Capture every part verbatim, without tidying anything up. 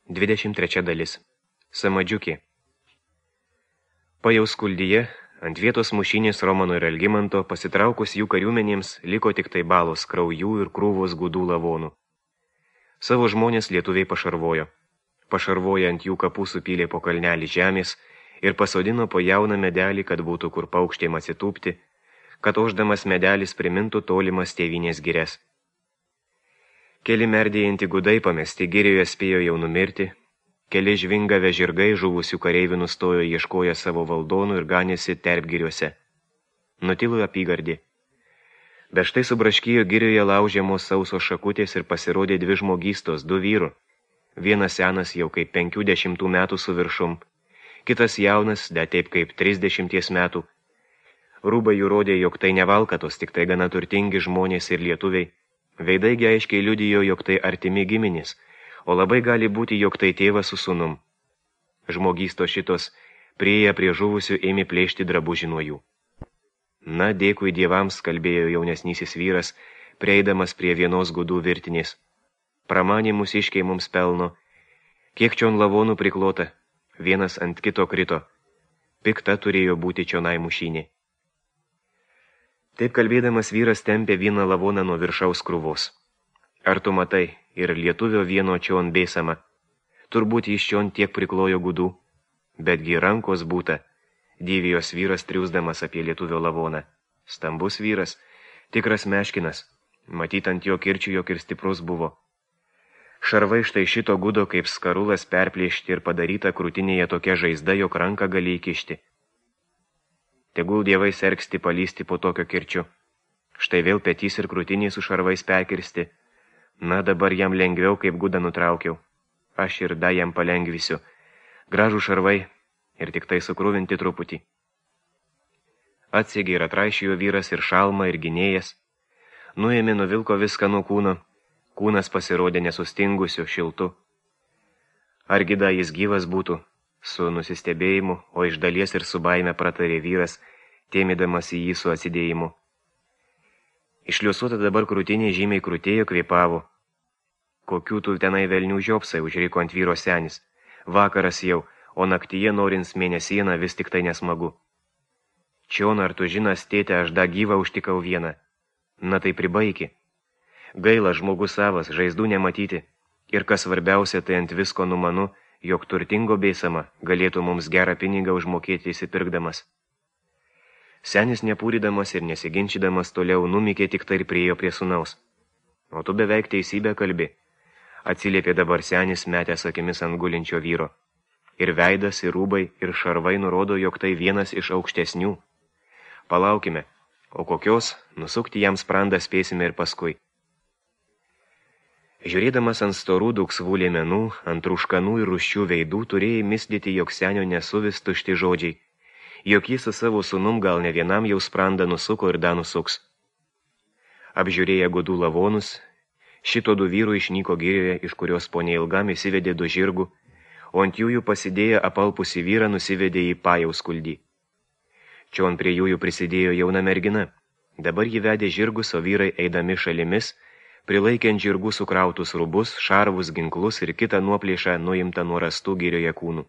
dvidešimt trečia dalis. Samadžiukė. Pajaus skuldyje, ant vietos mušinės Romano ir Algimanto, pasitraukus jų kariuomenėms, liko tik tai balos kraujų ir krūvos gudų lavonų. Savo žmonės lietuviai pašarvojo. Pašarvoja ant jų kapų supylė po kalnelį žemės ir pasodino po jauną medelį, kad būtų kur paukštėm atsitūpti, kad oždamas medelis primintų tolimas tėvinės gires. Keli merdėjantį gudai pamesti girioje spėjo jau numirti, keli žvingavę žirgai žuvusių kareivių nustojo ieškoję savo valdonų ir ganėsi terpgiriuose. Nutilo apygardį. Bet štai subraškyjo girioje laužiamos sausos šakutės ir pasirodė dvi žmogystos, du vyrų. Vienas senas jau kaip penkių dešimtų metų su viršum, kitas jaunas, da taip kaip trisdešimties metų. Rūbai jų rodė, jog tai ne valkatos, tik tai gana turtingi žmonės ir lietuviai. Veidaigi aiškiai liudijo, jog tai artimi giminės, o labai gali būti, jog tai tėvas su sūnum. Žmogysto šitos prieėję prie žuvusių ėmė plėšti drabužį nuo jų. Na, dėkui dievams, kalbėjo jaunesnysis vyras, prieidamas prie vienos gudų virtinės. Pramanė mūsiškiai mums pelno, kiek čion lavonų priklota, vienas ant kito krito, pikta turėjo būti čionai mušinė. Taip kalbėdamas vyras tempė vieną lavoną nuo viršaus krūvos. Ar tu matai, ir lietuvio vieno čion bėsama, turbūt jis čion tiek priklojo gudų, betgi rankos būta, dyvijos vyras triūsdamas apie lietuvio lavoną. Stambus vyras, tikras meškinas, matyt ant jo kirčių jog ir stiprus buvo. Šarvai štai šito gudo kaip skarulas perplėšti ir padaryta krūtinėje tokia žaizda, jog ranką gali įkišti. Tegul dievai sergsti palysti po tokio kirčiu. Štai vėl petys ir krūtiniai su šarvais perkirsti. Na, dabar jam lengviau, kaip gudą nutraukiau. Aš ir da jam palengvisiu. Gražų šarvai ir tik tai sukrūvinti truputį. Atsiegė ir atraišėjo vyras ir šalmą ir gynėjas. Nuėmė nuvilko viską nuo kūno. Kūnas pasirodė nesustingusiu, šiltu. Argi da jis gyvas būtų? Su nusistebėjimu, o iš dalies ir su baime pratarė vyras, tėmėdamas į jį su atsidėjimu. Išliusuota dabar krūtinė žymiai krūtėjo kvėpavo. Kokių tu tenai velnių žiopsai, užriko ant vyro senis. Vakaras jau, o naktyje norins mėnesieną vis tik tai nesmagu. Čion, ar tu žinas, tėte, aš da gyvą užtikau vieną. Na tai pribaiki. Gaila žmogus savas, žaizdų nematyti. Ir kas svarbiausia, tai ant visko numanu, jog turtingo bėsama galėtų mums gerą pinigą užmokėti įsipirkdamas. Senis nepūrydamas ir nesiginčydamas toliau numykė tik tai ir priejo prie sūnaus. O tu beveik teisybę kalbi, atsiliepė dabar senis metęs akimis ant gulinčio vyro. Ir veidas, ir rūbai, ir šarvai nurodo, jog tai vienas iš aukštesnių. Palaukime, o kokios, nusukti jam sprandą spėsime ir paskui. Žiūrėdamas ant storų duksvų liemenų, ant rūškanų ir rūščių veidų, turėjai mislyti, jog senio nesuvis tušti žodžiai, jog jis su savo sūnum gal ne vienam jau sprandą nusuko ir da nusuks. Apžiūrėję gudų lavonus, šito du vyrų išnyko girioje, iš kurios po neilgam įsivedė du žirgų, o ant jųjų pasidėję apalpusį vyrą nusivedė į pajaus skuldį. Čion prie jųjų prisidėjo jauna mergina, dabar jį vedė žirgus, o vyrai eidami šalimis, prilaikiant žirgų sukrautus rubus, šarvus, ginklus ir kitą nuoplėšą nuimtą nuo rastų girioje kūnų.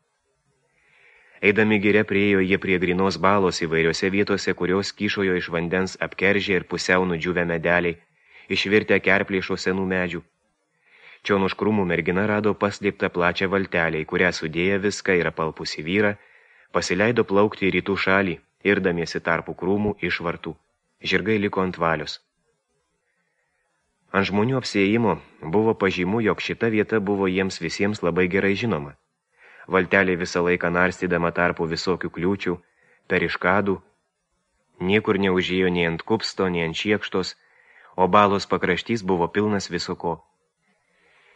Eidami giria priėjo jie prie grinos balos įvairiose vietose, kurios kyšojo iš vandens apkeržė ir pusiau nudžiūvę medeliai, išvirtę kerplėšo senų medžių. Čion už krūmų mergina rado paslėptą plačią valtelę, į kurią sudėję viską ir apalpusį vyrą, pasileido plaukti į rytų šalį, irdamiesi tarpų krūmų iš vartų. Žirgai liko ant valios. Ant žmonių apsiėjimo buvo pažymų, jog šita vieta buvo jiems visiems labai gerai žinoma. Valtelė visą laiką narstydama tarpų visokių kliūčių, periškadų, niekur neužėjo nei ant kupsto, nei ant šiekštos, o balos pakraštys buvo pilnas visoko.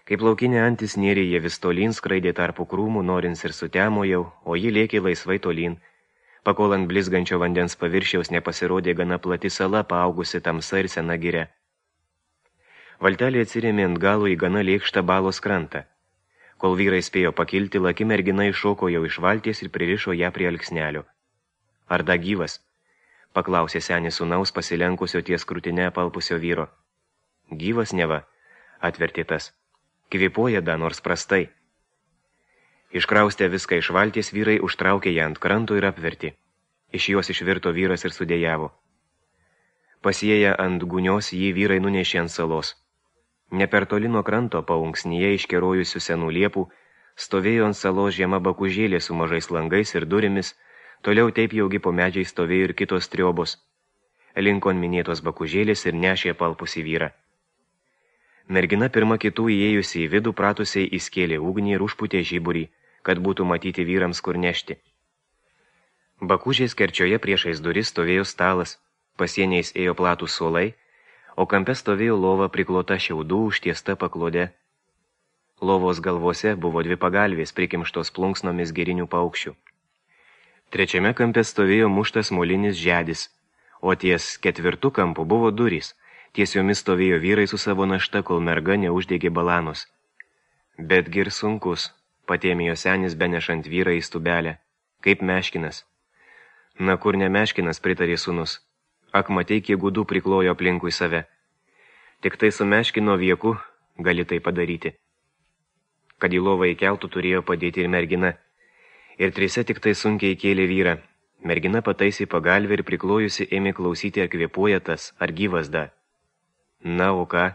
Kaip laukinė antis nėrė jie vis tolyn skraidė tarpų krūmų, norins ir sutemo jau, o ji lėkė laisvai tolyn, pakol ant blizgančio vandens paviršiaus nepasirodė gana plati sala, paaugusi tamsa ir sena giria. Valtelė atsirėmė ant galo į gana lėkštą balos krantą. Kol vyrai spėjo pakilti, laki mergina iššoko jau iš valties ir pririšo ją prie alksnelio. Ar da gyvas? Paklausė senis sūnaus pasilenkusio ties krūtinę apalpusio vyro. Gyvas neva, atvertė tas. Kvėpuoja da nors prastai. Iškraustę viską iš valties, vyrai užtraukė ją ant kranto ir apvertė. Iš jos išvirto vyras ir sudėjavo. Pasieję ant gunios, jį vyrai nunešė ant salos. Ne per toli nuo kranto, paunksnyje iškerojusių senų liepų, stovėjo ant salos žema bakužėlė su mažais langais ir durimis, toliau taip jaugi po medžiai stovėjo ir kitos triobos. Linkon minėtos bakužėlės ir nešė palpusį vyrą. Mergina pirma kitų įėjusi į vidų pratusiai įskėlė ugnį ir užputė žiburį, kad būtų matyti vyrams kur nešti. Bakužės kerčioje priešais duris stovėjo stalas, pasieniais ėjo platūs suolai, o kampe stovėjo lova priklota šiaudų užtiesta paklode. Lovos galvose buvo dvi pagalvės prikimštos plunksnomis gerinių paukščių. Trečiame kampe stovėjo muštas molinis žedis, o ties ketvirtu kampu buvo durys, ties jomis stovėjo vyrai su savo našta, kol merga neuždegė balanos. Betgi ir sunkus, patėmėjo senis benešant vyrą į stubelę, kaip meškinas. Na kur ne meškinas, pritarė sūnus, ak matei, kiek gudų priklojo aplinkui save. Tik tai su meškino vieku gali tai padaryti. Kad į lovą įkeltų turėjo padėti ir mergina, ir trise tik tai sunkiai kėlė vyrą. Mergina pataisė pagalvę ir priklojusi ėmė klausyti, ar kvėpuoja tas, ar gyvas da. Na, o ką?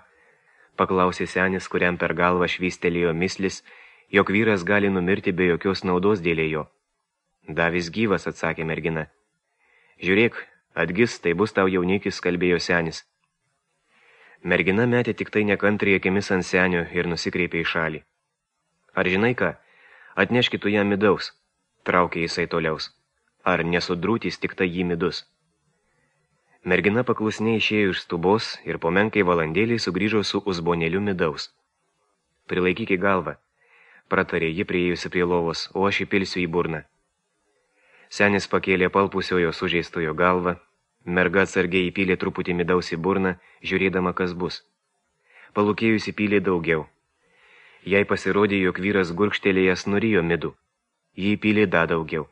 Paklausė senis, kuriam per galvą švystelėjo mislis, jog vyras gali numirti be jokios naudos dėl jo. Da vis gyvas, atsakė mergina. Žiūrėk, atgis, tai bus tau jaunikis, kalbėjo senis. Mergina metė tik tai nekantriai akimis ant senio ir nusikreipė į šalį. Ar žinai ką, atneškitų jam midaus, traukė jisai toliaus. Ar nesudrūtys tik tai jį midus. Mergina paklusniai išėjo iš stubos ir po menkai valandėlį sugrįžo su uzbonėliu midaus. Prilaikyk į galvą, pratarė ji priėjusi prie lovos, o aš įpilsiu į burną. Senis pakėlė palpusiojo sužeistojo galvą, merga atsargiai įpylė truputį midaus į burną, žiūrėdama, kas bus. Palūkėjus įpylė daugiau. Jai pasirodė, jog vyras gurkštelėjęs nurijo midų. Jį įpylė da daugiau.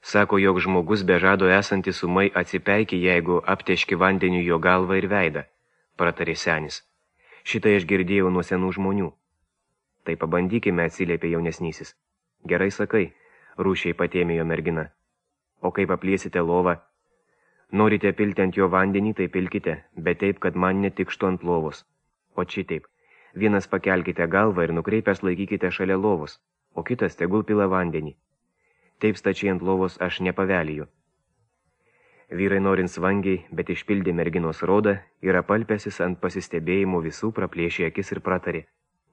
Sako, jog žmogus be žado esantis ūmai atsipeikė, jeigu apteški vandeniu jo galvą ir veidą, pratarė senis. Šitą aš girdėjau nuo senų žmonių. Tai pabandykime, atsiliepė jaunesnysis. Gerai sakai, rūšiai patėmėjo mergina. O kaip apliesite lovą? Norite pilti ant jo vandenį, tai pilkite, bet taip, kad man netikštų ant lovos. O šitaip, vienas pakelkite galvą ir nukreipęs laikykite šalia lovos, o kitas tegul pila vandenį. Taip stačiai ant lovos aš nepaveliju. Vyrai norint vangiai, bet išpildė merginos rodą ir apalpęsis ant pasistebėjimų visų praplėšė akis ir pratarė.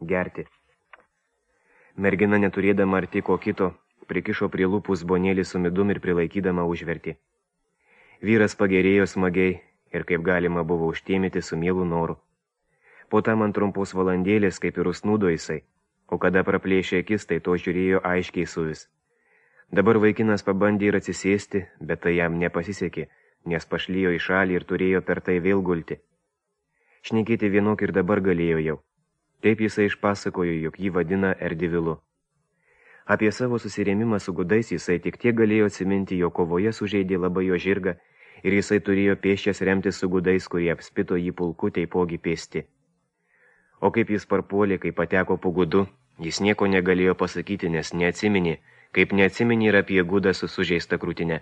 Gerti. Mergina neturėdama arti ko kito, prikišo prie lūpų uzbonėlį su midum ir prilaikydama užvertė. Vyras pagerėjo smagiai ir kaip galima buvo užtėmyti su mielu noru. Po tam ant trumpos valandėlės kaip ir usnūdo jisai, o kada praplėšė akis, tai to žiūrėjo aiškiai suvis. Dabar vaikinas pabandė ir atsisėsti, bet tai jam nepasisekė, nes pašlijo į šalį ir turėjo per tai vėl gulti. Šnekėti vienok ir dabar galėjo jau. Taip jisai išpasakojo, jog jį vadina Erdivilu. Apie savo susirėmimą su gudais jisai tik tiek galėjo atsiminti, jo kovoje sužeidė labai jo žirgą ir jisai turėjo pėsčias remtis su gudais, kurie apspito jį pulku taipogi pėsti. O kaip jis parpuolė, kai pateko po gudu, jis nieko negalėjo pasakyti, nes neatsiminė, kaip neatsiminė ir apie gudą su sužeista krūtine.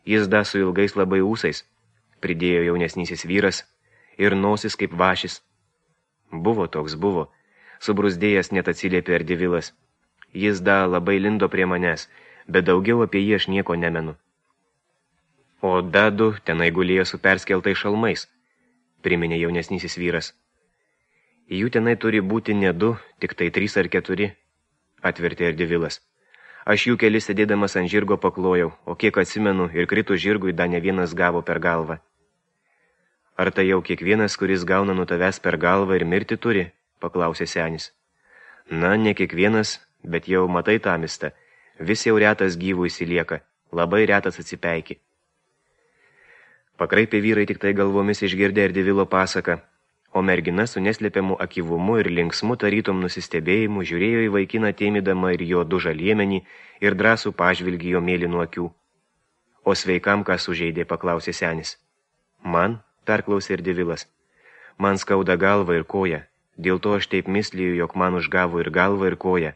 Jis da su ilgais labai ūsais, pridėjo jaunesnysis vyras, ir nosis kaip vašis. Buvo toks buvo, subrusdėjęs net atsiliepė Erdivilas. Jis da labai lindo prie manęs, bet daugiau apie jį aš nieko nemenu. O da du tenai gulėjo su perskeltais šalmais, priminė jaunesnysis vyras. Jų tenai turi būti ne du, tik tai trys ar keturi, atvertė Erdivilas. Aš jų kelis sėdėdamas ant žirgo paklojau, o kiek atsimenu, ir kritų žirgui da ne vienas gavo per galvą. Ar tai jau kiekvienas, kuris gauna nuo tavęs per galvą ir mirti turi? Paklausė senis. Na, ne kiekvienas, bet jau matai tamistą. Vis jau retas gyvų įsilieka, labai retas atsipeiki. Pakraipė vyrai tik tai galvomis išgirdė Erdivilo pasaką, o mergina su neslėpiamu akyvumu ir linksmu tarytom nusistebėjimu žiūrėjo į vaikiną tėmydama ir jo du žaliemenį ir drąsų pažvilgį jo mėlynų akių. O sveikam, ką sužeidė, paklausė senis. Man, perklausė Erdivilas, man skauda galva ir koja, dėl to aš taip misliju, jog man užgavo ir galva ir koja.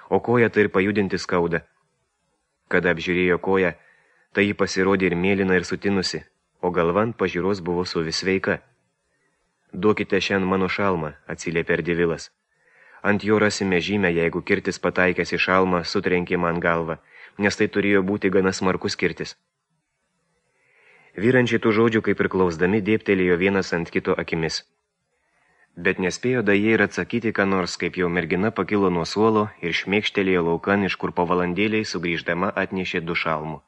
o koją tai ir pajudinti skauda. Kada apžiūrėjo koją, tai ji pasirodė ir mėlyna ir sutinusi, o galva ant pažiūros buvo suvis sveika. Duokite šiandien mano šalmą, atsiliepė Ardivilas. Ant jo rasime žymę, jeigu kirtis pataikęs į šalmą sutrenkė man galvą, nes tai turėjo būti gana smarkus kirtis. Vyrančiai tų žodžių, kaip ir klausdami, dėptelėjo vienas ant kito akimis. Bet nespėjo da jie ir atsakyti, ką nors, kaip jau mergina pakilo nuo suolo ir šmėkštelėjo laukan, iš kur po valandėliai sugrįždama atnešė du šalmų.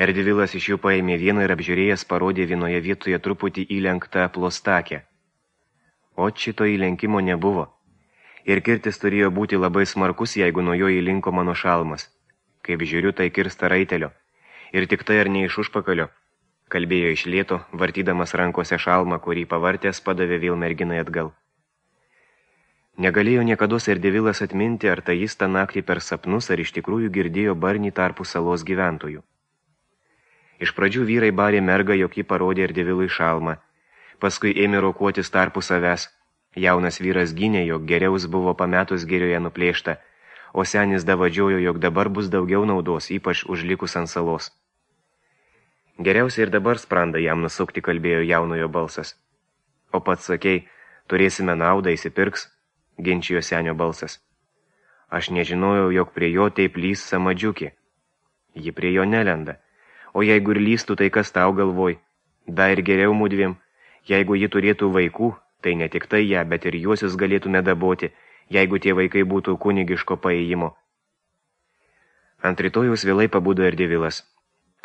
Ardivilas iš jų paėmė vieną ir apžiūrėjęs parodė vienoje vietoje truputį įlenktą plostakę. O šito įlenkimo nebuvo. Ir kirtis turėjo būti labai smarkus, jeigu nuo jo įlinko mano šalmas. Kaip žiūriu, tai kirsta raitelio. Ir tik tai ar ne iš užpakalio, kalbėjo iš lėto, vartydamas rankose šalmą, kurį pavartęs padavė vėl merginai atgal. Negalėjo niekados Ardivilas atminti, ar tai jis tą naktį per sapnus, ar iš tikrųjų girdėjo barnį tarpų salos gyventojų. Iš pradžių vyrai barė mergą, jog ji parodė Ardivilui šalmą. Paskui ėmė rokuotis tarpų savęs. Jaunas vyras gynė, jog geriaus buvo pametus gerioje nuplėšta, o senis davadžiojo, jog dabar bus daugiau naudos, ypač užlikus ant salos. Geriausia ir dabar sprandą jam nusukti, kalbėjo jaunojo balsas. O pats sakei, turėsime naudą, įsipirks, ginčijo senio balsas. Aš nežinojau, jog prie jo taip lys samadžiukė. Ji prie jo nelenda. O jeigu ir lystų, tai kas tau galvoj? Da ir geriau mudviem. Jeigu ji turėtų vaikų, tai ne tik tai ją, bet ir juosius galėtume daboti, jeigu tie vaikai būtų kunigiško paėjimo. Ant rytojaus vėlai pabudo Ardivilas.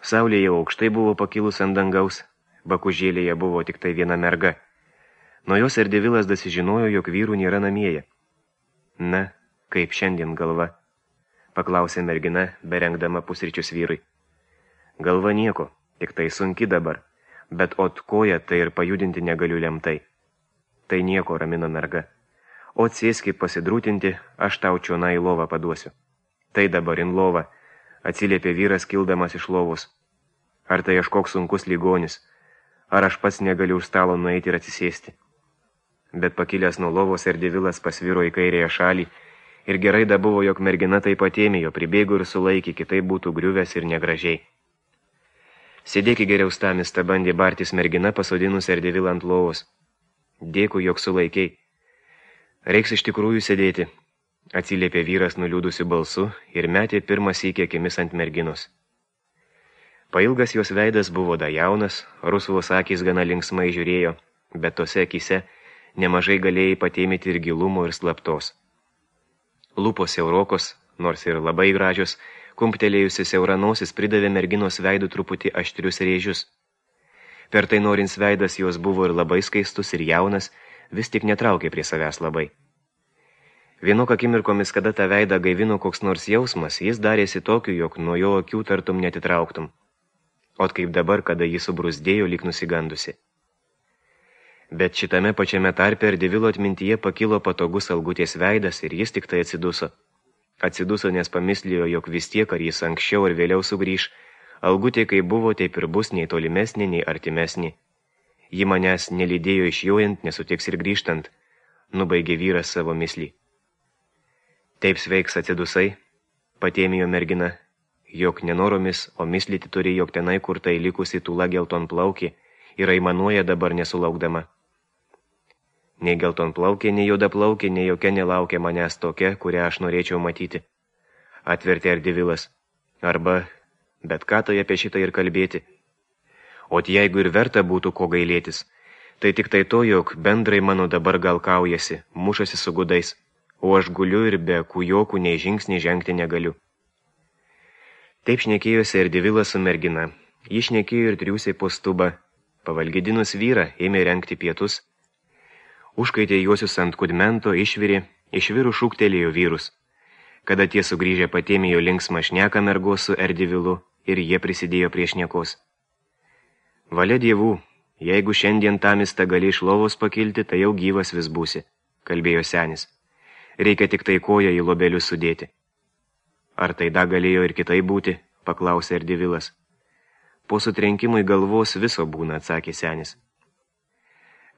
Saulė jau aukštai buvo pakilus ant dangaus, bakužėlėje buvo tik tai viena merga. Nuo jos Ardivilas dasižinojo, jog vyrų nėra namieje. Na, kaip šiandien galva, paklausė mergina, berengdama pusryčius vyrui. Galva nieko, tik tai sunki dabar, bet ot koja tai ir pajudinti negaliu lemtai. Tai nieko, ramino merga. O sėski pasidrūtinti, aš tau čionai į lovą paduosiu. Tai dabar in lovą, atsiliepė vyras kildamas iš lovos. Ar tai aš koks sunkus ligonis, ar aš pats negaliu už stalo nueiti ir atsisėsti. Bet pakilęs nuo lovos Ardivilas pasviro į kairėje šalį ir gerai da buvo, jog mergina tai patėmėjo, pribėgo ir sulaikė, kitaip būtų griuvęs ir negražiai. Sėdėki geriau stamis, ta bandė bartis mergina, pasodinus Ardivilą ant lovos. Dėkui, jog sulaikiai. Reiks iš tikrųjų sėdėti, atsiliepė vyras nuliūdusiu balsu ir metė pirmą sykį akimis ant merginos. Pailgas jos veidas buvo da jaunas, rusvos akys gana linksmai žiūrėjo, bet tose akyse nemažai galėjai patėmyti ir gilumo ir slaptos. Lūpos siaurokos, nors ir labai gražios, kumptelėjusi siaura nosis pridavė merginos veidų truputį aštrius rėžius. Per tai norins veidas jos buvo ir labai skaistus ir jaunas, vis tik netraukė prie savęs labai. Vienok akimirkomis, kada tą veidą gaivino koks nors jausmas, jis darėsi tokiu, jog nuo jo akių tartum netitrauktum. Ot kaip dabar, kada jis subrusdėjo lyg nusigandusi. Bet šitame pačiame tarpe Ardivilo atmintyje pakilo patogus Algutės veidas ir jis tik tai atsiduso. Atsiduso, nes pamislijo, jog vis tiek, ar jis anksčiau ar vėliau sugrįž, Algutė kaip buvo, taip ir bus nei tolimesnė, nei artimesnė. Ji manęs nelydėjo išjojant, nesutiks ir grįžtant, nubaigė vyras savo mislį. Taip sveiks atsidusai, patėmijo mergina, jog nenoromis, o mislyti turi, jog tenai, kur tai likusi tūla geltonplaukė, ir aimanuoja dabar nesulaukdama. Nei geltonplaukė, nei juodaplaukė, nei jokia nelaukia manęs tokia, kurią aš norėčiau matyti. Atvertė Ardivilas. Arba, bet ką tai apie šitą ir kalbėti. Ot jeigu ir verta būtų ko gailėtis, tai tik tai to, jog bendrai mano dabar gal kaujasi, mušasi su gudais, o aš guliu ir be kujokų nei žingsnį žengti negaliu. Taip šnekėjosi Ardivilas su mergina. Ji šnekėjo ir triūsiai po stubą. Pavalgydinus vyrą ėmė rengti pietus. Užkaitė juosius ant kudmento, išvirė, išvirų šūktelėjo vyrus. Kada tie sugrįžę patėmėjo linksmą šneką mergos su Ardivilu ir jie prisidėjo prie šnekos. Valia dievų, jeigu šiandien tamistą gali iš lovos pakilti, tai jau gyvas vis būsi, kalbėjo senis. Reikia tik tai koją į lobelius sudėti. Ar tai da galėjo ir kitai būti, paklausė Ardivilas. Po sutrenkimui galvos viso būna, atsakė senis.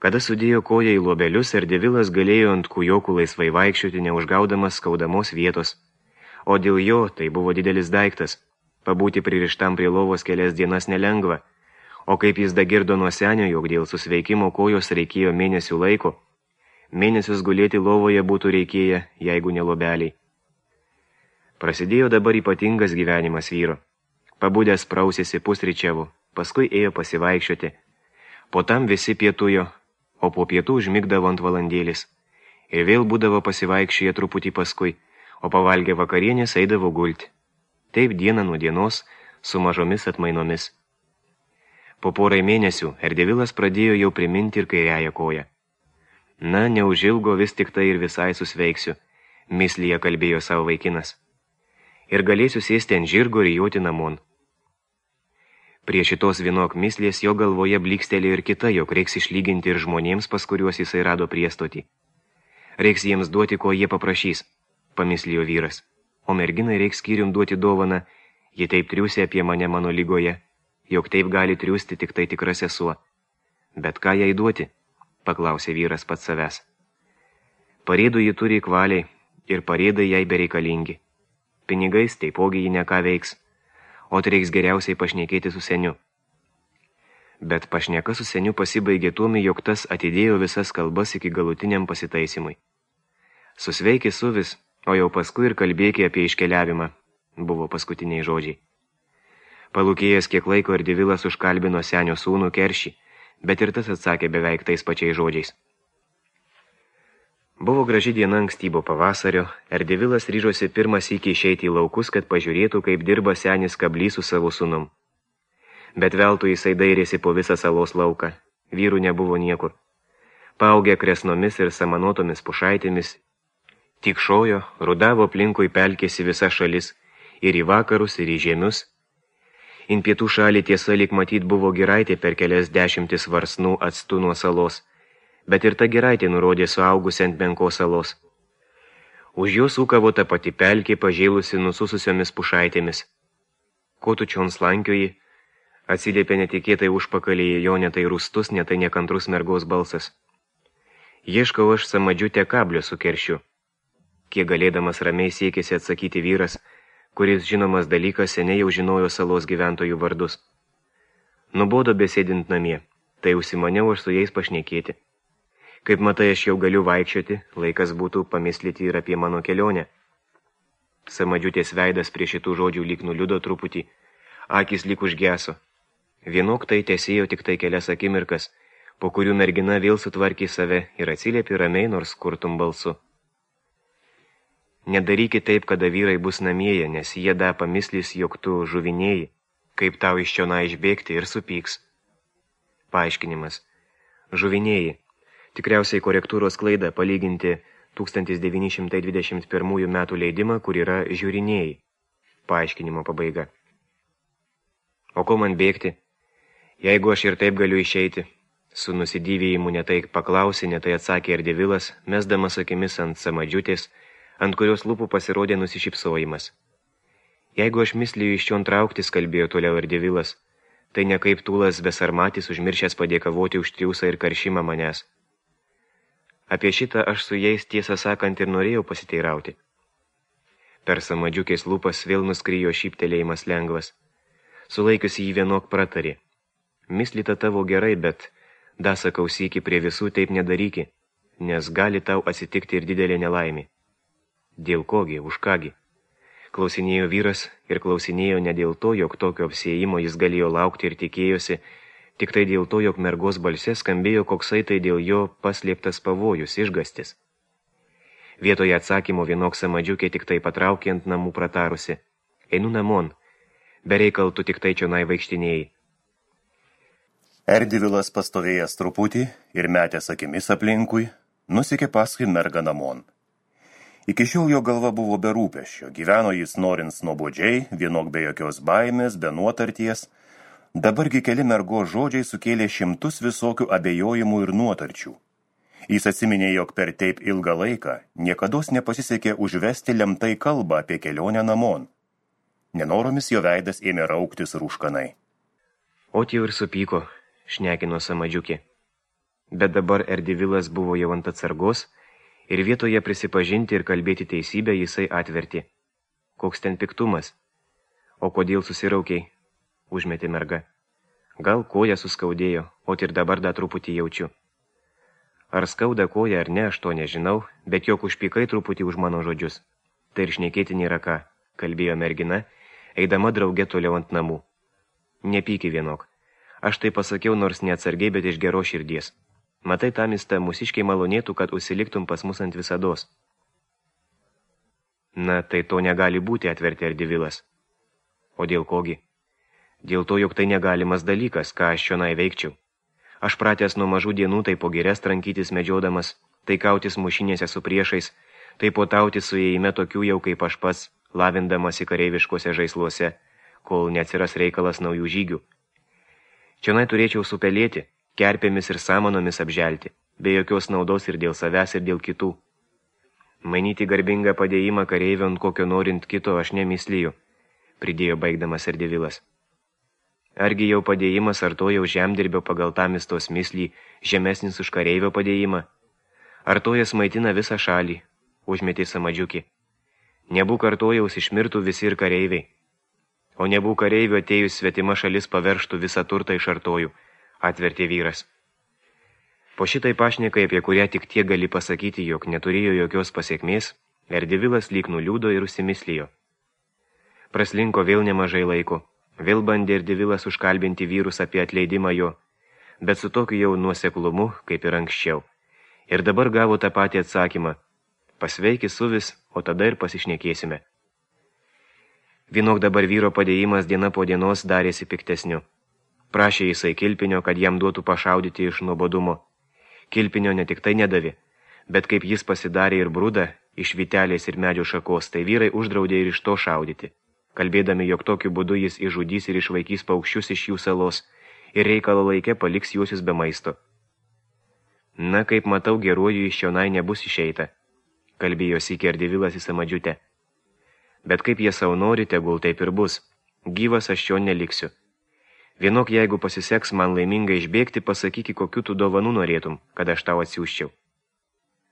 Kada sudėjo koją į lobelius, Erdevilas galėjo ant kujokų laisvai vaikščioti, neužgaudamas skaudamos vietos. O dėl jo tai buvo didelis daiktas. Pabūti pririštam prie lovos kelias dienas nelengva. O kaip jis dagirdo nuo senio, jog dėl susveikimo kojos reikėjo mėnesių laiko, mėnesius gulėti lovoje būtų reikėję, jeigu ne lobeliai. Prasidėjo dabar ypatingas gyvenimas vyro. Pabudęs prausėsi pusryčiavų, paskui ėjo pasivaikščioti. Po tam visi pietujo, o po pietų užmigdavo ant valandėlis. Ir vėl būdavo pasivaikščioje truputį paskui, o pavalgę vakarienės eidavo gulti. Taip diena nuo dienos, su mažomis atmainomis. Po porai mėnesių Erdevilas pradėjo jau priminti ir kairiąją koją. Na, neužilgo vis tik tai ir visai susveiksiu, mislyje kalbėjo savo vaikinas. Ir galėsiu sėsti ant žirgo ir joti namon. Prie šitos vienok mislės jo galvoje blykstelėjo ir kita, jog reiks išlyginti ir žmonėms, pas kuriuos jisai rado priestotį. Reiks jiems duoti, ko jie paprašys, pamislijo vyras, o merginai reiks skyrium duoti dovaną, ji taip triūsė apie mane mano lygoje, jog taip gali triūsti tik tai tikra sesuo. Bet ką jai duoti? Paklausė vyras pats savęs. Parėdų ji turi kvaliai ir parėdai jai bereikalingi. Pinigais taipogi ji neką veiks, o reiks geriausiai pašnekėti su seniu. Bet pašneka su seniu pasibaigė tuomi, jog tas atidėjo visas kalbas iki galutiniam pasitaisimui. Susveiki suvis, o jau paskui ir kalbėki apie iškeliavimą, buvo paskutiniai žodžiai. Palūkėjęs kiek laiko Erdevilas užkalbino senio sūnų Keršį, bet ir tas atsakė beveik tais pačiais žodžiais. Buvo graži diena ankstyvo pavasario, Erdevilas ryžosi pirmas iki išeiti į laukus, kad pažiūrėtų, kaip dirba senis kablys su savo sūnum. Bet veltui jisai dairėsi po visą salos lauką, vyrų nebuvo niekur. Paaugę kresnomis ir samanotomis pušaitėmis, tikšojo, rudavo aplinkui pelkėsi visa šalis, ir į vakarus, ir į žemius. In pietų šalį tiesa lyg matyt buvo giraitė per kelias dešimtis varsnų atstu nuo salos, bet ir ta giraitė nurodė suaugusi ant menkos salos. Už jos ūkavo ta pati pelkė, pažėlusi nusususiomis pušaitėmis. Ko tu čion slankioji? Atsiliepė netikėtai užpakalyje jo netai rūstus, netai nekantrus mergos balsas. Ieškau aš samadžiutę kablio su Keršiu. Kiek galėdamas ramiai siekėsi atsakyti vyras, kuris žinomas dalykas seniai jau žinojo salos gyventojų vardus. Nubodo besėdint namie, tai užsimaniau aš su jais pašnekėti. Kaip matai, aš jau galiu vaikščioti, laikas būtų pamislyti ir apie mano kelionę. Samadžiutės veidas prie šitų žodžių lyg nuliudo truputį, akis lyg užgeso. Vienok tai tesėjo tik tai kelias akimirkas, po kurių mergina vėl sutvarkė save ir atsiliepė ramiai nors kurtum balsu. Nedarykit taip, kada vyrai bus namieje, nes jie da pamislys, jog tu žuvinėjai, kaip tau iš čiona išbėgti ir supyks. Paaiškinimas. Žuvinėjai. Tikriausiai korektūros klaida palyginti tūkstantis devyni šimtai dvidešimt pirmųjų metų leidimą, kur yra žiūrinėjai. Paaiškinimo pabaiga. O ko man bėgti? Jeigu aš ir taip galiu išeiti, su nusidyvėjimu netai paklausė, netai atsakė Erdevilas, mesdamas akimis ant samadžiutės, ant kurios lūpų pasirodė nusišypsojimas. Jeigu aš mislijų iš čion trauktis, kalbėjo toliau Erdevilas, tai ne kaip tūlas besarmatis užmiršęs padėkavoti už triūsą ir karšimą manęs. Apie šitą aš su jais tiesą sakant ir norėjau pasiteirauti. Per samadžiukės lūpas vėl nuskrijo šyptelėjimas lengvas. Sulaikiusi jį vienok pratarė. Mislita tavo gerai, bet da sakau sykį prie visų taip nedaryki, nes gali tau atsitikti ir didelė nelaimė. Dėl kogi, už kągi? Klausinėjo vyras ir klausinėjo ne dėl to, jog tokio apsiėjimo jis galėjo laukti ir tikėjosi, tik tai dėl to, jog mergos balse skambėjo koksai tai dėl jo paslėptas pavojus, išgastis. Vietoje atsakymo vienok samadžiukė tik tai patraukė ant namų pratarusi. Einu namon, bereikal tu tik tai čionai vaikštinėjai. Erdevilas pastovėjęs truputį ir metęs akimis aplinkui, nusikė paskui mergą namon. Iki šiol jo galva buvo be rūpesčio, gyveno jis norins nuobodžiai, vienok be jokios baimės, be nuotarties. Dabargi keli mergos žodžiai sukėlė šimtus visokių abejojimų ir nuotarčių. Jis atsiminė, jog per taip ilgą laiką niekados nepasisekė užvesti lemtai kalbą apie kelionę namon. Nenoromis jo veidas ėmė rauktis rūškanai. O jau ir supyko, šnekino samadžiukė. bet dabar Erdivilas buvo jau ant atsargos ir vietoje prisipažinti ir kalbėti teisybę jisai atvertė. Koks ten piktumas? O kodėl susiraukiai? Užmetė merga. Gal koja suskaudėjo, o ir dabar dar truputį jaučiu. Ar skauda koja ar ne, aš to nežinau, bet jok užpykai truputį už mano žodžius. Tai ir šnekėti nėra ką, kalbėjo mergina, eidama drauge toliau ant namų. Nepyki vienok. Aš tai pasakiau nors neatsargiai, bet iš geros širdies. Matai, tamista, mūsiškiai malonėtų, kad užsiliktum pas mus ant visados. Na, tai to negali būti, atvertė Erdivilas. O dėl kogi? Dėl to, jog tai negalimas dalykas, ką aš čionai veikčiau. Aš pratęs nuo mažų dienų tai po girias trankytis medžiodamas, tai kautis mušinėse su priešais, tai potauti su įėjime tokių jau kaip aš pats, lavindamas į kareiviškose žaisluose, kol neatsiras reikalas naujų žygių. Čionai turėčiau supelėti, kerpėmis ir samanomis apželti, be jokios naudos ir dėl savęs ir dėl kitų. Manyti garbingą padėjimą kareivio ant kokio norint kito aš nemyslyju, pridėjo baigdamas Erdivilas. Argi jau padėjimas ar to jau žemdirbio pagal tamistos myslį žemesnis už kareivio padėjimą? Ar to jas maitina visą šalį, užmetė Samadžiukį. Nebūk artojaus išmirtų visi ir kareiviai. O nebūk kareivio atėjus svetima šalis paverštų visą turtą iš artojų, atvertė vyras. Po šitai pašnekai, apie kurią tik tiek gali pasakyti, jog neturėjo jokios pasiekmės, Erdivilas lyg nuliūdo ir užsimislijo. Praslinko vėl nemažai laiko. Vėl bandė Erdivilas užkalbinti vyrus apie atleidimą jo, bet su tokiu jau nuoseklumu, kaip ir anksčiau. Ir dabar gavo tą patį atsakymą. Pasveiki suvis, o tada ir pasišnekėsime. Vienok dabar vyro padėjimas diena po dienos darėsi piktesniu. Prašė jisai Kilpinio, kad jam duotų pašaudyti iš nuobodumo. Kilpinio ne tik tai nedavė, bet kaip jis pasidarė ir brūdą iš vitelės ir medžio šakos, tai vyrai uždraudė ir iš to šaudyti, kalbėdami, jog tokiu būdu jis išžudys ir išvaikys paukščius iš jų salos ir reikalo laike paliks juosius be maisto. Na, kaip matau, geruoju iš čionai nebus išeita, kalbėjo sykį Erdivilas į Samadžiutę. Bet kaip jie savo nori, tegul taip ir bus. Gyvas aš čia neliksiu. Vienok, jeigu pasiseks man laimingai išbėgti, pasakyki, kokiu tu dovanų norėtum, kad aš tau atsiųsčiau.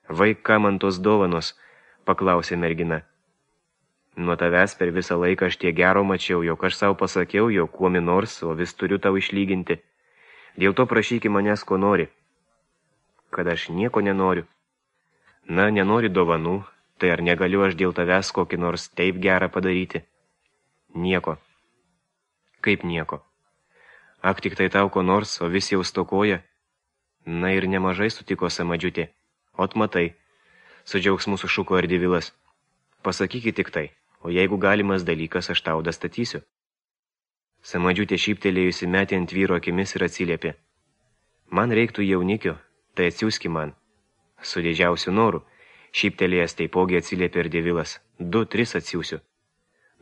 Vaik, ką man tos dovanos, paklausė mergina. Nuo tavęs per visą laiką aš tiek gero mačiau, jog aš savo pasakiau, jog kuomi nors, o vis turiu tau išlyginti. Dėl to prašyki manęs, ko nori. Kad aš nieko nenoriu. Na, nenori dovanų, tai ar negaliu aš dėl tavęs kokį nors taip gerą padaryti? Nieko. Kaip nieko? Ak, tik tai tau ko nors, o vis jau stokoja. Na ir nemažai sutiko Samadžiutė. Ot matai, su džiaugsmu sušuko Erdivilas. Pasakykit tik tai, o jeigu galimas dalykas, aš tau dastatysiu. Samadžiutė šyptelėjusi metė ant vyro akimis ir atsiliepė. Man reiktų jaunikio, tai atsiųski man. Su didžiausiu noru, šyptelėjęs taipogi atsiliepė Erdivilas. Du, tris atsiųsiu.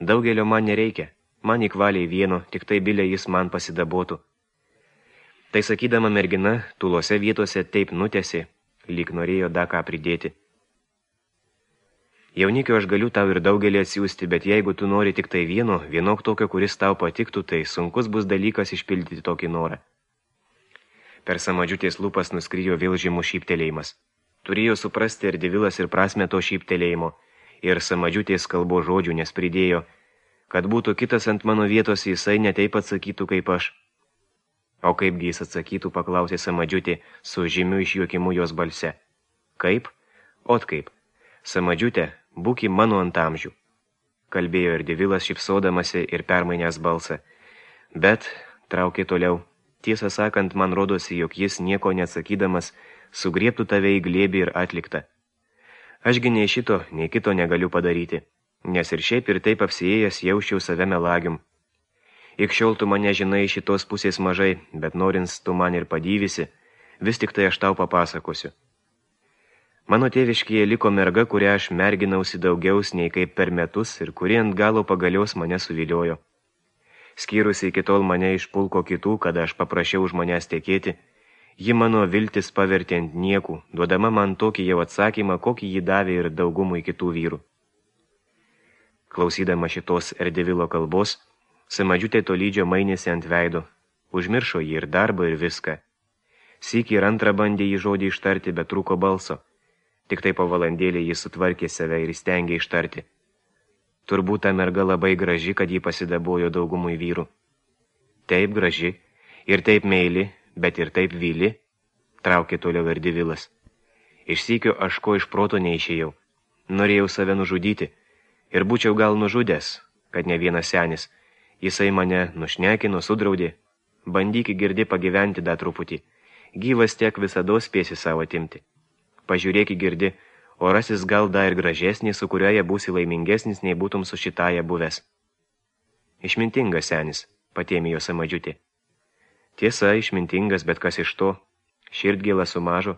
Daugelio man nereikia, man įkvaliai vieno, tik tai bilė jis man pasidabotų. Tai sakydama mergina, tulose vietose taip nutėsi, lyg norėjo da ką pridėti. Jaunikio aš galiu tau ir daugelį atsiųsti, bet jeigu tu nori tik tai vieno, vienok tokio, kuris tau patiktų, tai sunkus bus dalykas išpildyti tokį norą. Per Samadžiutės lūpas nuskrijo vėl žymus šyptelėjimas. Turėjo suprasti Erdivilas ir prasme to šyptelėjimo, ir Samadžiutės kalbo žodžių, nes pridėjo, kad būtų kitas ant mano vietos, jisai netaip atsakytų kaip aš. O kaipgi jis atsakytų, paklausė Samadžiutė su žymiu išjuokimu jos balse. Kaip? Ot kaip. Samadžiutė, būki mano ant amžių, kalbėjo Erdivilas šypsodamasi ir permainęs balsą. Bet, traukė toliau, tiesą sakant, man rodosi, jog jis nieko neatsakydamas sugriebtų tave į glėbį ir atliktą. Ašgi nei šito, nei kito negaliu padaryti, nes ir šiaip ir taip apsiėjęs jausčiau save melagium. Ik šiol tu mane žinai šitos pusės mažai, bet norins tu man ir padyvisi, vis tik tai aš tau papasakosiu. Mano tėviškyje liko merga, kurią aš merginausi daugiaus nei kaip per metus ir kuri ant galo pagalios mane suviliojo. Skyrusi iki tol mane iš pulko kitų, kada aš paprašiau už manęs tekėti, ji mano viltis pavertė ant niekų, duodama man tokį jau atsakymą, kokį ji davė ir daugumui kitų vyrų. Klausydama šitos Erdivilo kalbos, Samadžiutė tolydžio mainėsi ant veido, užmiršo jį ir darbą ir viską. Sykį ir antrą bandė jį žodį ištarti, bet trūko balso. Tik tai po valandėlį jis sutvarkė save ir įstengė ištarti. Turbūt ta merga labai graži, kad jį pasidabojo daugumui vyrų. Taip graži, ir taip meili, bet ir taip vyli, traukė toliau Erdivilas. Iš sykio aš ko iš proto neišėjau. Norėjau save nužudyti, ir būčiau gal nužudęs, kad ne vienas senis. Jisai mane nušnekino, sudraudė. Bandyki girdi pagyventi dar truputį. Gyvas tiek visados spėsi savo atimti. Pažiūrėki girdi, o rasis gal dar ir gražesnį, su kurioje būsi laimingesnis, nei būtum su šitaja buvęs. Išmintingas senis, patėmė jo Samadžiutė. Tiesa, išmintingas, bet kas iš to? Širdgėlą sumažo.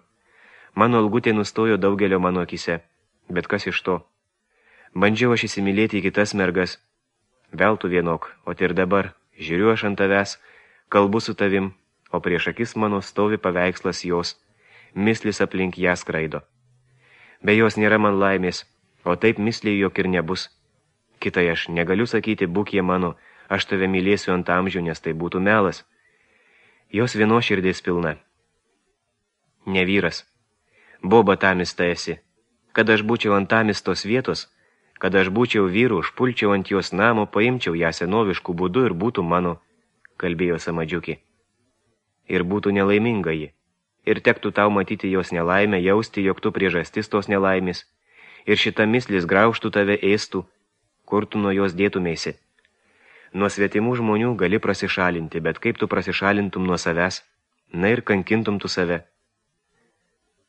Mano algutė nustojo daugelio mano akise, bet kas iš to? Bandžiau aš įsimylėti į kitas mergas. Veltų vienok, o ir dabar, žiūriu aš ant tavęs, kalbu su tavim, o prieš akis mano stovi paveikslas jos, mislis aplink ją skraido. Be jos nėra man laimės, o taip misliai jog ir nebus. Kitai aš negaliu sakyti, būk jie mano, aš tave mylėsiu ant amžių, nes tai būtų melas. Jos vienos širdis pilna. Ne vyras. Boba tamista esi. Kad aš būčiau ant tamistos vietos, kad aš būčiau vyru, užpulčiau ant jos namo, paimčiau ją senoviškų būdų ir būtų mano, kalbėjo Samadžiukė. Ir būtų nelaiminga ji. Ir tektų tau matyti jos nelaimę, jausti, jog tu priežastis tos nelaimės. Ir šita mislis graužtų tave ėstų, kur tu nuo jos dėtumėsi. Nuo svetimų žmonių gali prasišalinti, bet kaip tu prasišalintum nuo savęs, na ir kankintum tu save.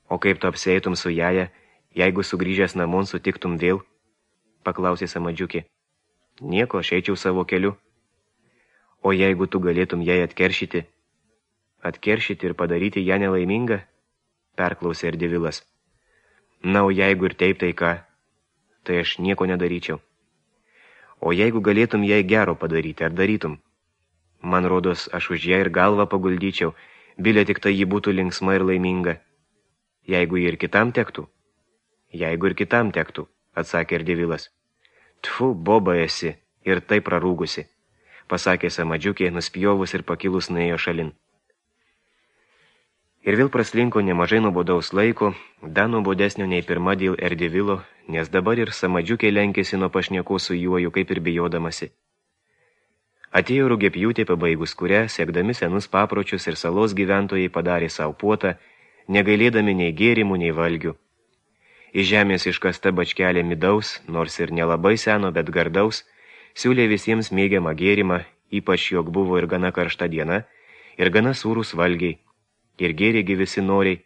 O kaip tu apsieitum su jaja, jeigu sugrįžęs namon sutiktum vėl? Paklausė Samadžiukė. Nieko, aš eičiau savo keliu. O jeigu tu galėtum jai atkeršyti, atkeršyti ir padaryti ją nelaimingą? Perklausė Erdivilas. Na, o jeigu ir taip, tai ką? Tai aš nieko nedaryčiau. O jeigu galėtum jai gero padaryti, ar darytum? Man rodos, aš už ją ir galvą paguldyčiau, bilė tik tai ji būtų linksma ir laiminga. Jeigu ir kitam tektų? Jeigu ir kitam tektų, atsakė Erdivilas. Tfu, boba esi, ir taip prarūgusi, pasakė Samadžiukė, nuspjovus ir pakilus nuėjo šalin. Ir vėl praslinko nemažai nuobodaus laiko, dar nuobodesnio nei pirma dėl Erdivilo, nes dabar ir Samadžiukė lenkėsi nuo pašnieko su juoju, kaip ir bijodamasi. Atėjo rugiapjūtė pabaigus kurią, siekdami senus papročius ir salos gyventojai padarė savo puotą, negailėdami nei gėrimų, nei valgių. Iš žemės iškasta bačkelė midaus, nors ir nelabai seno, bet gardaus, siūlė visiems mėgiamą gėrimą, ypač jog buvo ir gana karšta diena, ir gana sūrus valgiai, ir gėrėgi visi noriai.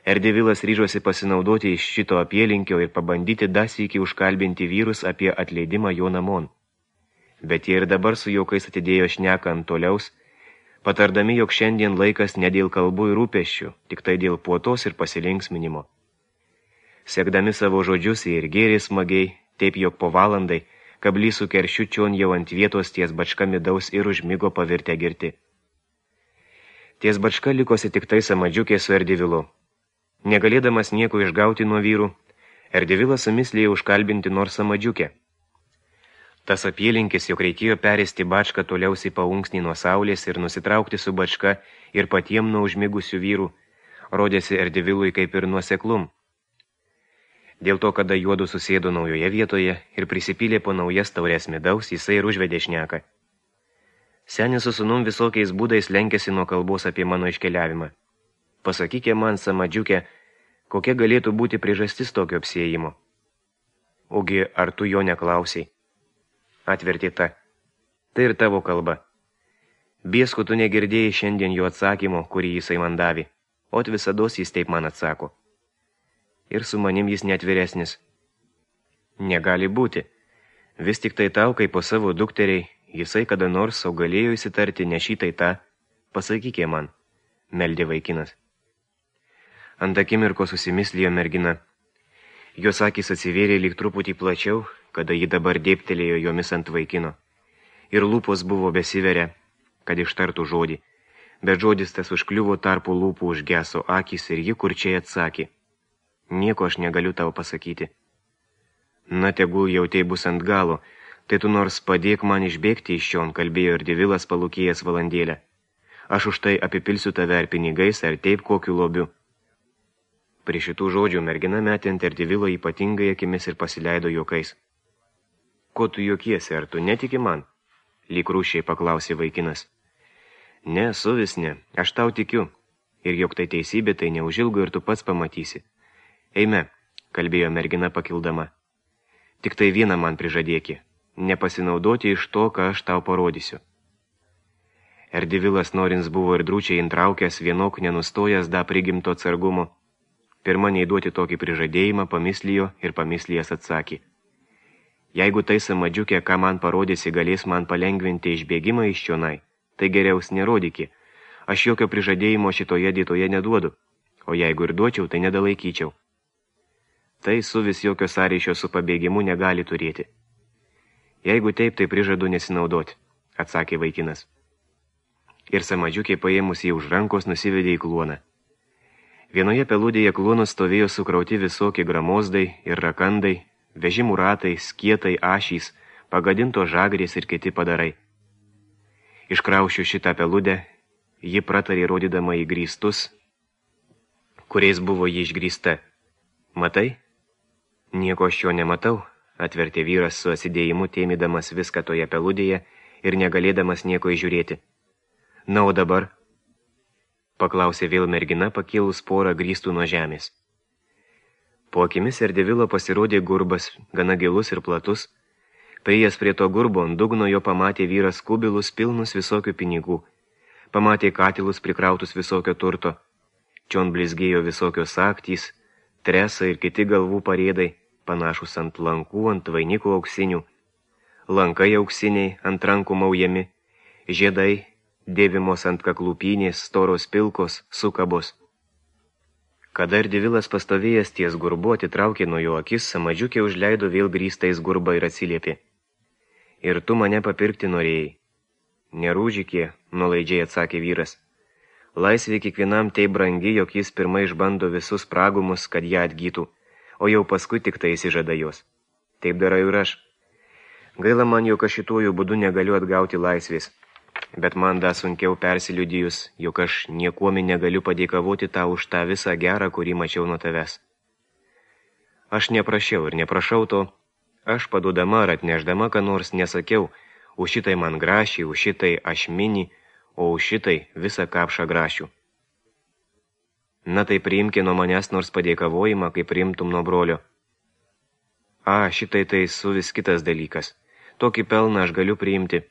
Erdivilas ryžosi pasinaudoti iš šito apylinkio ir pabandyti dasykį užkalbinti vyrus apie atleidimą jo namon. Bet jie ir dabar su jaukais atidėjo šneką ant toliaus, patardami, jog šiandien laikas ne dėl kalbų ir rūpesčių, tik tai dėl puotos ir pasilinksminimo. Sekdami savo žodžius ir gėrė smagiai, taip jog po valandai, kablys su keršiu čion jau ant vietos ties bačka midaus ir užmigo pavirtę girti. Ties bačka likosi tik tai Samadžiukė su Erdivilu. Negalėdamas nieko išgauti nuo vyrų, Erdivilas sumislėjo užkalbinti nors Samadžiukę. Tas apylinkis, jog reikėjo peristi bačką toliausiai paunksnį nuo saulės ir nusitraukti su bačka ir patiem nuo užmigusių vyrų, rodėsi Erdivilui kaip ir nuoseklum. Dėl to, kada juodu susėdo naujoje vietoje ir prisipylė po naujas taurės midaus, jisai ir užvedė šneką. Senis su sūnum visokiais būdais lenkėsi nuo kalbos apie mano iškeliavimą. Pasakykė man, Samadžiukė, kokia galėtų būti priežastis tokio apsiėjimo. Ogi, ar tu jo neklausiai? Atvertė ta. Tai ir tavo kalba. Biesku tu negirdėjai šiandien jo atsakymo, kurį jisai man davė, o visados jis taip man atsako. Ir su manim jis netviresnis. Negali būti. Vis tik tai tau, kaip po savo dukteriai, jisai kada nors sau galėjo įsitarti ne šitai tą, pasakykė man, meldė vaikinas. Ant akimirko susimislijo mergina. Jos akys atsivėrė lyg truputį plačiau, kada ji dabar dėptelėjo jomis ant vaikino. Ir lūpos buvo besiveria, kad ištartų žodį, bet žodis tas užkliuvo tarpu lūpų užgeso akys ir ji kurčiai atsakė. Nieko aš negaliu tau pasakyti. Na, tegul jau tai bus ant galo, tai tu nors padėk man išbėgti iš čion, kalbėjo Erdivilas palūkėjęs valandėlę. Aš už tai apipilsiu tave ar pinigais, ar taip kokiu lobiu. Prie šitų žodžių mergina metė ant Erdivilo ypatingai akimis ir pasileido juokais. Ko tu juokiesi, ar tu netiki man? Lyg rūšiai paklausė vaikinas. Ne, suvis ne, aš tau tikiu. Ir jog tai teisybė, tai neužilgo ir tu pats pamatysi. Eime, kalbėjo mergina pakildama. Tik tai vieną man prižadėki, nepasinaudoti iš to, ką aš tau parodysiu. Erdivilas norins buvo ir drūčiai intraukęs, vienok nenustojęs da prigimto atsargumo. Pirma neįduoti tokį prižadėjimą, pamislijo ir pamislijęs atsakė. Jeigu tai samadžiukė, ką man parodysi, galės man palengvinti išbėgimą iš čionai, tai geriaus nerodyki. Aš jokio prižadėjimo šitoje dietoje neduodu, o jeigu ir duočiau, tai nedalaikyčiau. Tai suvis jokio sąryšio su pabėgimu negali turėti. Jeigu taip, tai prižadu nesinaudoti, atsakė vaikinas. Ir samadžiukė paėmus jį už rankos nusivedė į kluoną. Vienoje peludėje kluonų stovėjo sukrauti visokie gramozdai ir rakandai, vežimų ratai, skietai, ašys, pagadinto žagrės ir kiti padarai. Iškraušiu šitą peludę, ji pratarė rodydama į grįstus, kuriais buvo ji išgrįsta. Matai? Nieko aš jo nematau, atvertė vyras su atsidėjimu, tėmydamas viską toje peludėje ir negalėdamas nieko įžiūrėti. Na, o dabar? Paklausė vėl mergina, pakėlus porą grįstų nuo žemės. Po akimis Erdivilo pasirodė gurbas, gana gilus ir platus. Priėjęs prie to gurbo, ant dugno jo pamatė vyras kubilus pilnus visokių pinigų. Pamatė katilus prikrautus visokio turto. Čion blizgėjo visokios aktys, tresai ir kiti galvų parėdai, panašus ant lankų, ant vainikų auksinių. Lankai auksiniai, ant rankų maujami, žiedai, dėvimos ant kaklupynės, storos pilkos, sukabos. Kada Erdivilas pastovėjęs ties gurbu atitraukė nuo jo akis, samadžiukė užleido vėl grįstais gurbą ir atsiliepė. Ir tu mane papirkti norėjai. Nerūžikė, nuolaidžiai atsakė vyras. Laisvė kiekvienam tai brangi, jog jis pirmai išbando visus pragumus, kad ją atgytų, o jau paskui tik tai įsižada jos. Taip darau ir aš. Gaila man, jog aš šituoju būdu negaliu atgauti laisvės. Bet man da sunkiau persiliudijus, jog aš niekuomi negaliu padėkavoti tau už tą visą gerą, kurį mačiau nuo tavęs. Aš neprašiau ir neprašau to, aš padudama ar atnešdama, ką nors nesakiau, už šitai man grašį, už šitai aš mini, o už šitai visą kapšą grašių. Na tai priimki nuo manęs nors padėkavojimą, kaip priimtum nuo brolio. A, šitai tai su vis kitas dalykas. Tokį pelną aš galiu priimti,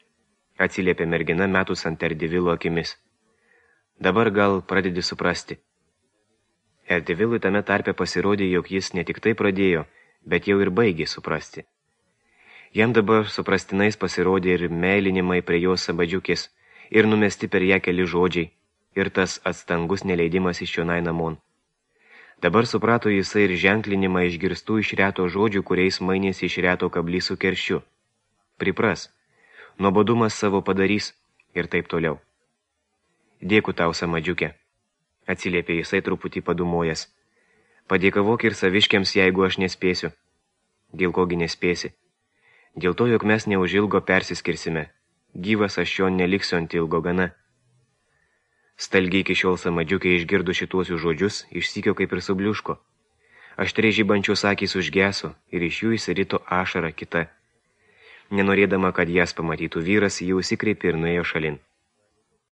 atsiliepė mergina metus ant Erdivilo akimis. Dabar gal pradedi suprasti. Erdivilui tame tarpe pasirodė, jog jis ne tik tai pradėjo, bet jau ir baigė suprasti. Jam dabar suprastinais pasirodė ir meilinimai prie jos sabadžiukės, ir numesti per ją keli žodžiai, ir tas atstangus neleidimas iš čionai namon. Dabar suprato jisai ir ženklinimą išgirstų iš reto žodžių, kuriais mainėsi iš reto kablį su kerščiu. Pripras. Nuobodumas savo padarys ir taip toliau. Dėkui tau, samadžiukė, atsiliepė jisai truputį padumojęs. Padėkavok ir saviškiams, jeigu aš nespėsiu. Dėl kogi nespėsi? Dėl to, jog mes neužilgo persiskirsime. Gyvas aš jo neliksiu ant ilgo gana. Stalgiai iki šiol samadžiukė išgirdo šituosius žodžius, išsykio kaip ir subliuško. Aštriai žibančios akys užgeso ir iš jų įsirito ašara kita. Nenorėdama, kad jas pamatytų vyras, jau įsikreipė ir nuėjo šalin.